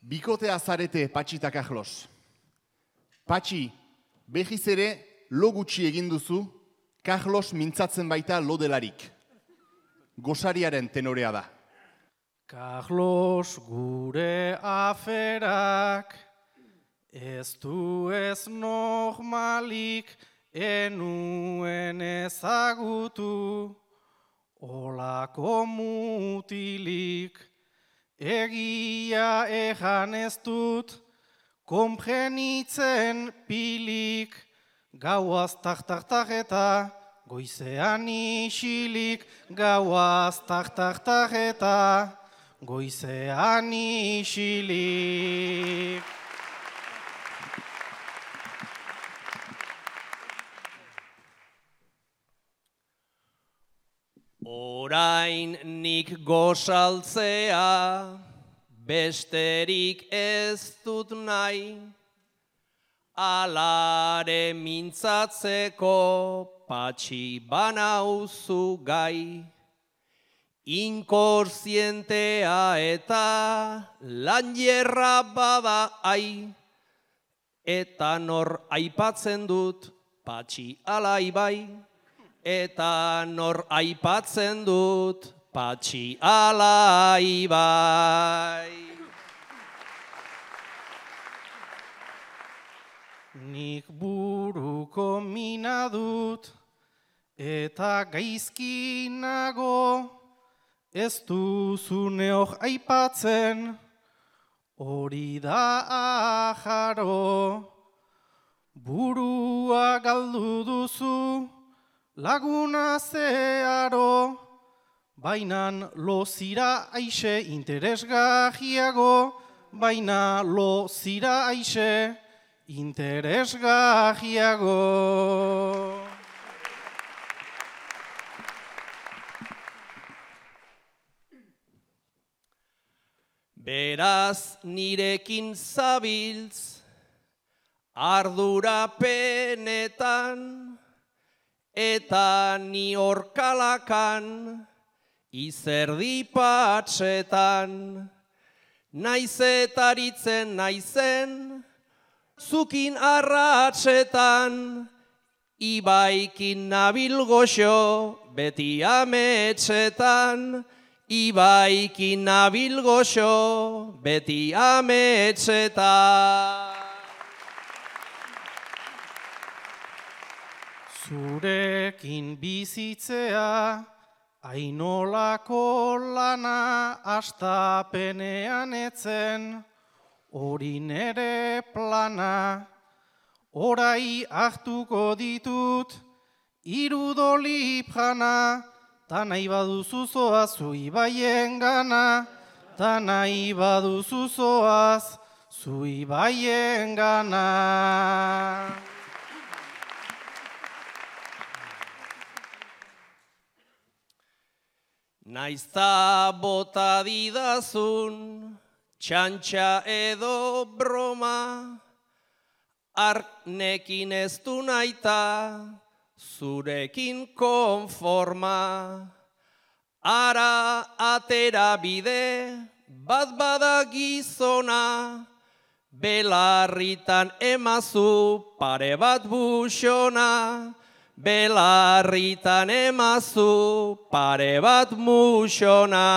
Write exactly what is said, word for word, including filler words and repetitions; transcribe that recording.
Bikotea zarete Patxi eta Carlos. Patxi, behiz ere lo gutxi egin duzu, Carlos mintzatzen baita lo delarik. Gosariaren tenorea da. Carlos gure aferak, ez du ez normalik, enuen ezagutu, olako mutilik, egia ejan ez dut, konprenitzen pilik, gauaz tak-tak-tak eta goizean isilik, gauaz tak-tak-tak eta goizean isilik. Orain nik gozaltzea, besterik ez dut nahi, alare mintzatzeko Patxi banauzu gai. Inkorzientea eta lanjerra bada ai, eta nor aipatzen dut Patxi alai bai. Eta nor aipatzen dut Patxi alai bai. Nik buruko mina dut eta gaizki nago, ez duzu neok aipatzen, hori da ajaro. Burua galdu duzu, laguna zeharo, bainan lo zira aixe interesgahiago, baina lo zira aixe interesgahiago. Beraz nirekin zabiltz, ardurapenetan, eta ni horkalakan, izerdi patxetan, naizetaritzen naizen, zukin arratsetan, ibaikin nabil goxo, beti ametxetan, ibaikin nabil goxo, beti ametxetan. Zurekin bizitzea, ainolako lana astapenean etzen, hori nere plana, orai hartuko ditut, irudolip jana, ta nahi baduzu zoaz zu ibaien gana, ta nahi baduzu zoaz zu ibaien gana. Naizta bota didazun, txantxa edo broma, arnekin ez du naita, zurekin konforma. Ara atera bide, bat bada gizona, belarritan emazu pare bat buxona, belarritan emazu pare bat muxona.